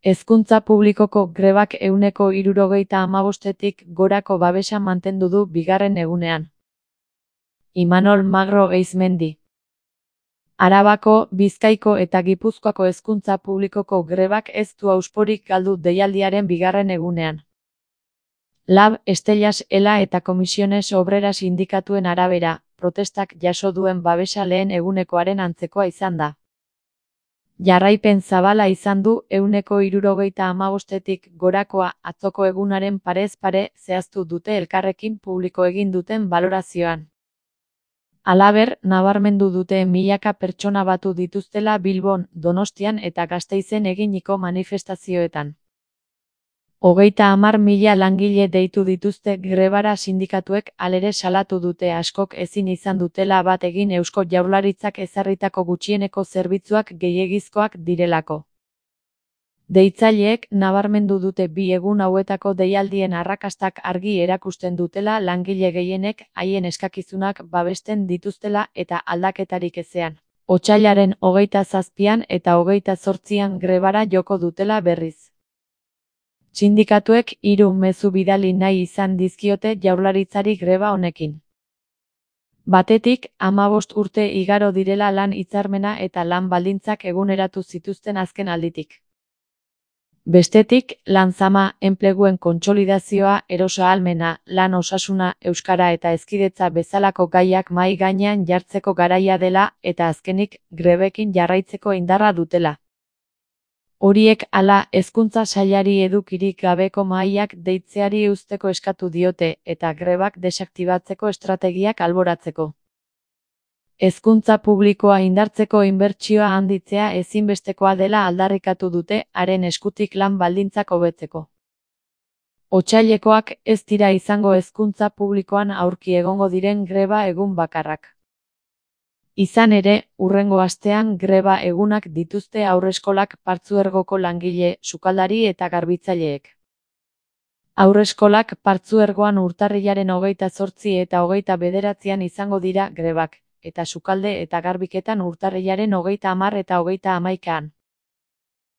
Hezkuntza publikoko grebak 75%tik gorako babesa mantendu du bigarren egunean. Imanol Magro Eizmendi. Arabako, Bizkaiko eta Gipuzkoako hezkuntza publikoko grebak ez du hausporik galdu deialdiaren bigarren egunean. Lab, Estellas, Ela eta Komisiones Obreras sindikatuen arabera, protestak jaso duen babesa lehen egunekoaren antzekoa izan da. Jarraipen zabala izan du 75%tik gorakoa atzoko egunaren parez pare zehaztu dute Elkarrekin publiko egin duten balorazioan. Halaber, nabarmendu dute milaka pertsona batu dituztela Bilbon, Donostian eta Gasteizen eginiko manifestazioetan. 30.000 langile deitu dituzte grebara sindikatuek, halere salatu dute askok ezin izan dutela bat egin Eusko Jaurlaritzak ezarritako gutxieneko zerbitzuak gehiegizkoak direlako. Deitzaileek nabarmendu dute bi egun hauetako deialdien arrakastak argi erakusten dutela langile gehienek haien eskakizunak babesten dituztela eta aldaketarik ezean. Otsailaren 27an eta 28an grebara joko dutela berriz. Sindikatuek 3 mezu bidali nahi izan dizkiote Jaurlaritzari greba honekin. Batetik, 15 urte igaro direla lan hitzarmena eta lan baldintzak eguneratu zituzten azken alditik. Bestetik, lan zama, enpleguen kontsolidazioa, erosahalmena, lan osasuna, euskara eta hezkidetza bezalako gaiak mahai gainean jartzeko garaia dela eta azkenik, grebekin jarraitzeko indarra dutela. Horiek hala, hezkuntza sailari edukirik gabeko mahaiak deitzeari uzteko eskatu diote eta grebak desaktibatzeko estrategiak alboratzeko. Hezkuntza publikoa indartzeko inbertsioa handitzea ezinbestekoa dela aldarrikatu dute haren eskutik lan baldintzak hobetzeko. Otsailekoak ez dira izango hezkuntza publikoan aurki egongo diren greba egun bakarrak. Izan ere, hurrengo astean greba egunak dituzte haurreskolak partzuergoko langile, sukaldari eta garbitzaileek. Haurreskolak partzuergoan urtarrilaren 28 eta 29an izango dira grebak, eta sukalde eta garbiketan urtarrilaren 30 eta 31an.